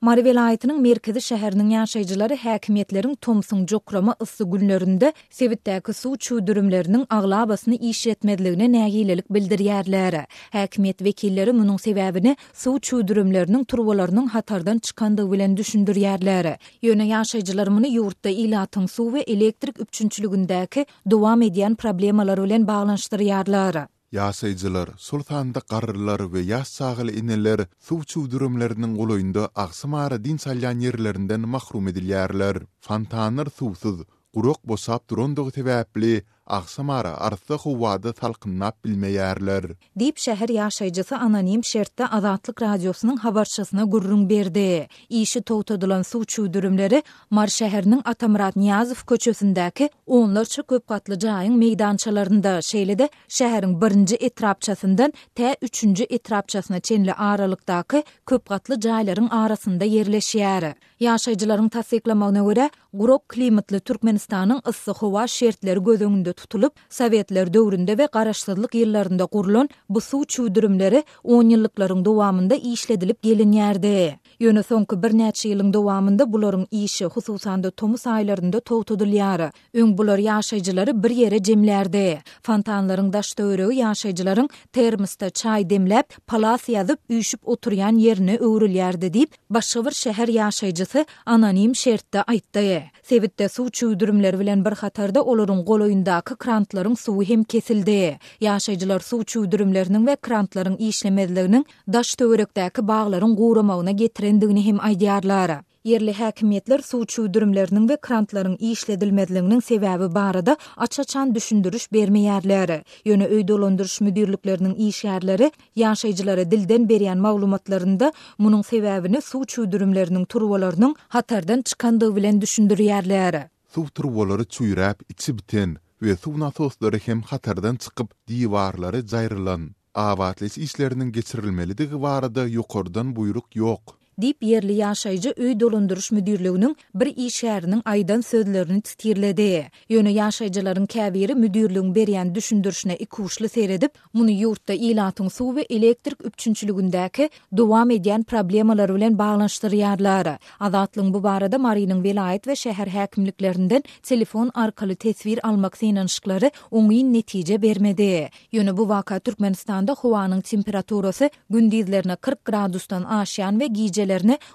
Mary welaýatynyň merkezi şäheriniň ýaşaýjylary häkimiýetleriň tomsuň jokrama yssy günlerinde sebitdäki suw çüwdürimleriniň aglabasyny işletmezligine nägilelik bildirýärler. Häkimiýet wekilleri munuň sebäbini suw çüwdürimleriniň turbalarynyň hatardan çykandygy bilen düşündirýärler. Ýöne ýaşaýjylar muny ýurtda ilatyň suw we elektrik üpjünçiligindäki dowam edýän problemalar bilen baglanyşdyrýarlar. Ýaşaýjylar, şol sanda garrylar we ýaş çagaly eneler suw çüwdürimleriniň golaýynda agşamara dynç alýan ýerlerinden mahrum edilýärler. Fontanlar suwsuz, gurak boşap durandygy sebäpli, agşamara arassa howada salkynlap bilmeýärler. Diýip, şäher ýaşaýjysy anonim şertde Azatlyk Radiosynyň habarçysyna gürrüň berdi. Işi togtadylan suw çüwdürimleri Mary şäheriniň Atamyrat Nyýazow köçesindäki onlarça köp gatly jaýyň meýdançalarynda, şeýle-de şäheriň birinji etrapçasyndan tä üçünji etrapçasyna çenli aralykdaky köp gatly jaýlaryň arasynda ýerleşýär. Ýaşaýjylaryň tassyklamagyna görä, gurak klimatly Türkmenistanyň yssy howa şertleri göz öňünde tutulyp, sowetler döwründe we garaşsyzlyk ýyllarynda gurlan bu suw çüwdürimleri onýyllyklaryň dowamynda işledilip gelinýärdi. Ýöne soňky birnäçe ýylyň dowamynda bularyň işi, hususan-da tomus aýlarynda togtadylýar. Öň bular ýaşaýjylary bir ýere jemlärdi. Fontanlaryň daş-töweregi ýaşaýjylaryň termosda çaý demläp, palas ýazyp, üýşüp oturýan ýerine öwrülýärdi diýip, başga bir şäher ýaşaýjysy anonim şertde aýtdy. Sebitde suw çüwdürimleri bilen bir hatarda olaryň golaýyndaky krantlaryň suwy hem kesildi. Ýaşaýjylar suw çüwdürimleriniň we krantlaryň işlemezliginiň daş-töwerekdäki baglaryň guramagyna getirendigini hem aýdýarlar. Ýerli häkimiýetler suw çüwdürimleriniň we krantlaryň işledilmezliginiň sebäbi barada aç-açan düşündiriş bermeýärler. Ýöne öý dolandyryş müdirlikleriniň işgärleri ýaşaýjylara dilden berýän maglumatlarynda munuň sebäbini suw çüwdürimleriniň turbalarynyň hatardan çykandygy bilen düşündirýärler. Suw turbalary çüýräp, içi biten we suw nasoslary hem hatardan çykyp, diwarlary jaýrylan. Abatlaýyş işleriniň geçirilmelidigi barada ýokardan buýruk ýok. Diýip, ýerli ýaşaýjy öý dolandyryş müdirliginiň bir işgäriniň aýdan sözlerini titirledi. Ýöne ýaşaýjylaryň käbiri müdirligiň berýän düşündirişine ikuçly seredip, muny ýurtda ilatyň suw we elektrik üpjünçiligindäki dowam edýän problemalar bilen baglanyşdyrýarlar. Azatlygyň bu barada Marynyň welaýat we şäher häkimliklerinden telefon arkaly teswir almak synanyşyklary oňyn netije bermedi. Ýöne bu waka Türkmenistanda howanyň temperaturasy gündizlerine 40 gradusdan aşýan we gijelerine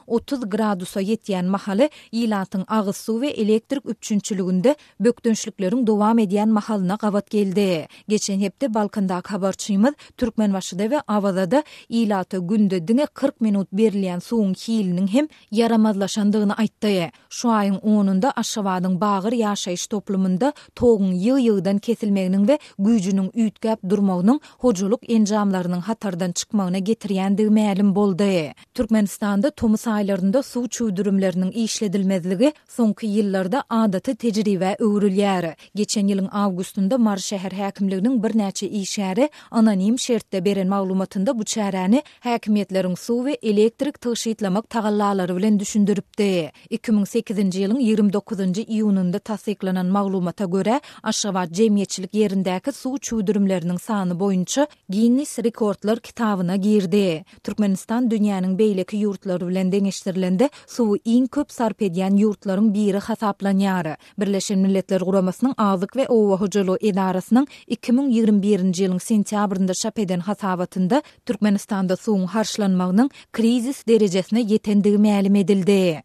30 gradusa ýetýän mahaly ilatyň agyz suw we elektrik üpjünçiliginde bökdençlikleriň dowam edýän mahalyna gabat geldi. Geçen hepde Balkandaky habarçymyz Türkmenbaşyda we Awazada ilata günde diňe 40 minut berilýän suwuň hiliniň hem ýaramazlaşandygyny aýtdy. Şu aýyň onunda Aşgabadyň Bagyr ýaşaýyş toplumynda toguň ýygy-ýygydan kesilmeginiň we güýjüniň üýtgäp durmagynyň hojalyk enjamlarynyň hatardan çykmagyna getirýändigi mälim boldy. Türkmenistanda tomus aýlarynda suw çüwdürimleriniň işledilmezligi soňky ýyllarda adaty tejribä öwrülýär. Geçen ýylyň awgustynda Mary şäher häkimliginiň birnäçe işgäri anonim şertde beren maglumatynda bu çäräni häkimiýetleriň suw we elektrik tygşytlamak tagallalary bilen düşündiripdi. 2008-nji ýylyň 29-njy iýunynda tassyklanan maglumata görä, Aşgabat jemgyýetçilik ýerindäki suw çüwdürimleriniň sany boýunça Ginnis rekordlar kitabyna girdi. Türkmenistan dünýäniň beýleki ýurtlary bilen deňeşdirilende suwy iň köp sarp edýän ýurtlaryň biri hasaplanýar. Birleşen Milletler Guramasynyň Azyk we oba hojalygy edarasynyň 2021-nji ýylyň sentýabrynda çap eden hasabatynda Türkmenistanda suwuň harçlanmagynyň krizis derejesine ýetendigi mälim edildi.